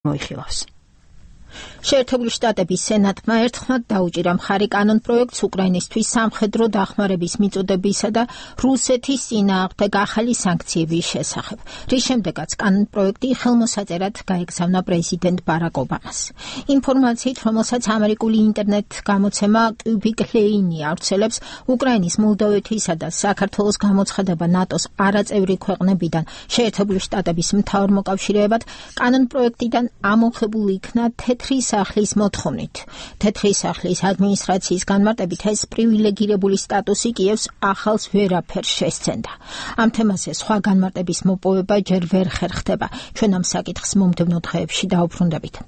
მოიხილავს. შეერთებული შტატების სენატმა ერთხმად დაუჭირა მხარი კანონ პროექტს უკრაინისთვის სამხედრო დახმარების მიწოდებისა და რუსეთის წინააღმდეგ ახალი სანქციების შესახებ, რის შემდეგაც კანონ პროექტი ხელმოსაწერად გაეგზავნა პრეზიდენტ ბარაკ ობამას. ინფორმაციით, რომელსაც ამერიკული ინტერნეტ გამოცემა Cubic Lane ავრცელებს, უკრაინის, მოლდოვეთისა და საქართველოს გამოცხადება ნატოს არაწევრი ქვეყნებიდან შეერთებული შტატების მთავარ მოკავშირეებად კანონ პროექტიდან ამოხებული იქნა თეთრი სახლის მოთხოვნით. თეთრი სახლის ადმინისტრაციის განმარტებით ეს პრივილეგირებული სტატუსი კიევს ახალს ვერაფერს შესცენდა. ამ თემაზე სხვა განმარტების მოპოვება ჯერ ვერ ხერხდება. ჩვენ ამ საკითხს მომდევნო დღეებში დაუბრუნდებით.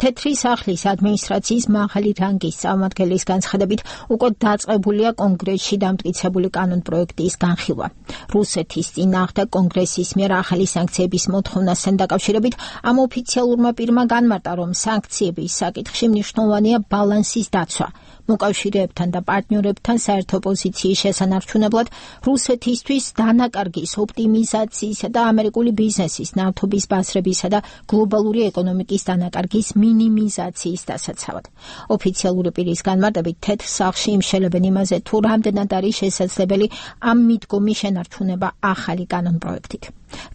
თეთრი სახლის ადმინისტრაციის მაღალი რანგის წარმომადგენლის განცხადებით უკვე დაწყებულია კონგრესში დამტკიცებული კანონ პროექტის განხილვა. რუსეთის წინააღმდეგ კონგრესის მიერ ახალი სანქციების მოთხოვნასთან დაკავშირებით ამ ოფიციალურმა პირმა განმარტა, რომ სანქციების საკითხში მნიშვნელოვანია ბალანსის დაცვა. მოკავშირეებთან და პარტნიორებთან საერთო პოზიციის შესანარჩუნებლად რუსეთისთვის დანაკარგის ოპტიმიზაციისა და ამერიკული ბიზნესის, ნავთობის ბაზრებისა და გლობალური ეკონომიკის დანაკარგის მინიმიზაციის დასაცავად. ოფიციალური პირის განმარტებით თეთრ სახლში იმშელებენ იმაზე, თუ რამდენად არის შესაძლებელი ამ მიდგომის შენარჩუნება ახალი კანონ პროექტით.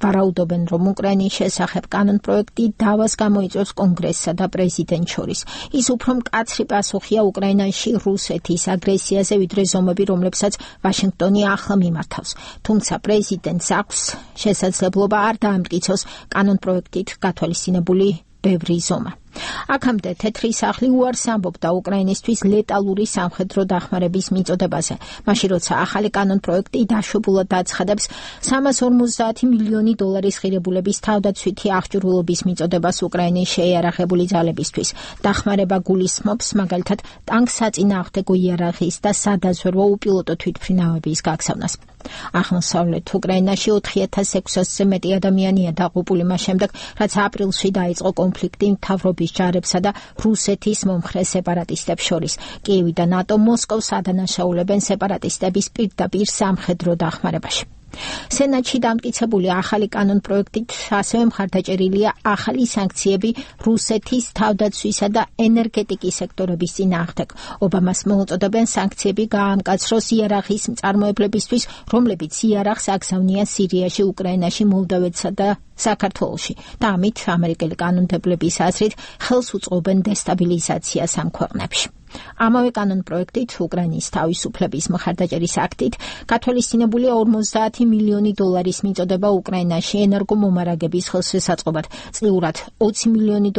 ვარაუდობენ, რომ უკრაინის შესახებ კანონ პროექტი დავას გამოიწვევს კონგრესსა და პრეზიდენტს შორის. ის უფრო მკაცრი პასუხია უკრაინაში რუსეთის აგრესიაზე, ვიდრე ზომები, რომლებსაც ვაშინგტონი ახლა მიმართავს. თუმცა პრეზიდენტს აქვს შესაძლებლობა არ დაამტკიცოს კანონ პროექტით გათვალისწინებული ბევრი ზომა. აქამდე თეთრი სახლი უარს ამბობდა უკრაინისთვის ლეტალური სამხედრო დახმარების მიწოდებაზე, მაშინ როცა ახალი კანონ პროექტი დაშვებულად აცხადებს $350 მილიონი ღირებულების თავდაცვითი აღჭურვილობის მიწოდებას უკრაინის შეიარაღებული ძალებისთვის. დახმარება გულისხმობს მაგალითად ტანკსაწინააღმდეგო იარაღის და სადაზვერვო უპილოტო თვითმფრინავების გაგზავნას. აღმოსავლეთ უკრაინაში 4600-ზე მეტი ადამიანია დაღუპული მას შემდეგ, რაც აპრილში დაიწყო კონფლიქტი მთავრობის ჯარებსა და რუსეთის მომხრე სეპარატისტებს შორის. კიევი და ნატო მოსკოვს ადანაშაულებენ სეპარატისტების პირდაპირ სამხედრო დახმარებაში. სენატში დამტკიცებული ახალი კანონ პროექტით ასევე მხარდაჭერილია ახალი სანქციები რუსეთის თავდაცვისა და ენერგეტიკის სექტორების წინააღმდეგ. ობამას მოუწოდებენ სანქციები გაამკაცროს იარაღის მწარმოებლებისთვის, რომლებიც იარაღს აგზავნიან სირიაში, უკრაინაში, მოლდოვეთსა და საქართველოში და ამით ამერიკელი კანონმდებლების აზრით ხელს უწყობენ დესტაბილიზაციას ამ ქვეყნებში. ამავე კანონ პროექტით უკრაინის თავისუფლების მხარდაჭერის აქტით გათვალისწინებულია $50 მილიონი მიწოდება უკრაინაში ენერგომომარაგების ხელშესაწყობად, წლიურად $20 მილიონი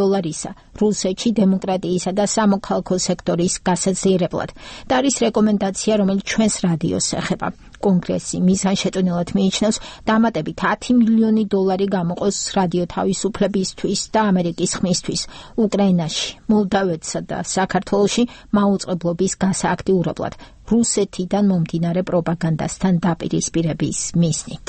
რუსეთში დემოკრატიისა და სამოქალაქო სექტორის გასაძლიერებლად. და არის რეკომენდაცია, რომელიც ჩვენს რადიოს ეხება. კონგრესი მიზანშეწონილად მიიჩნევს დამატებით $10 მილიონი გამოყოს რადიო თავისუფლებისთვის და ამერიკის ხმისთვის უკრაინაში, მოლდოვეთსა და საქართველოში მაუწყებლობის გასააქტიურებლად რუსეთიდან მომდინარე პროპაგანდასთან დაპირისპირების მიზნით.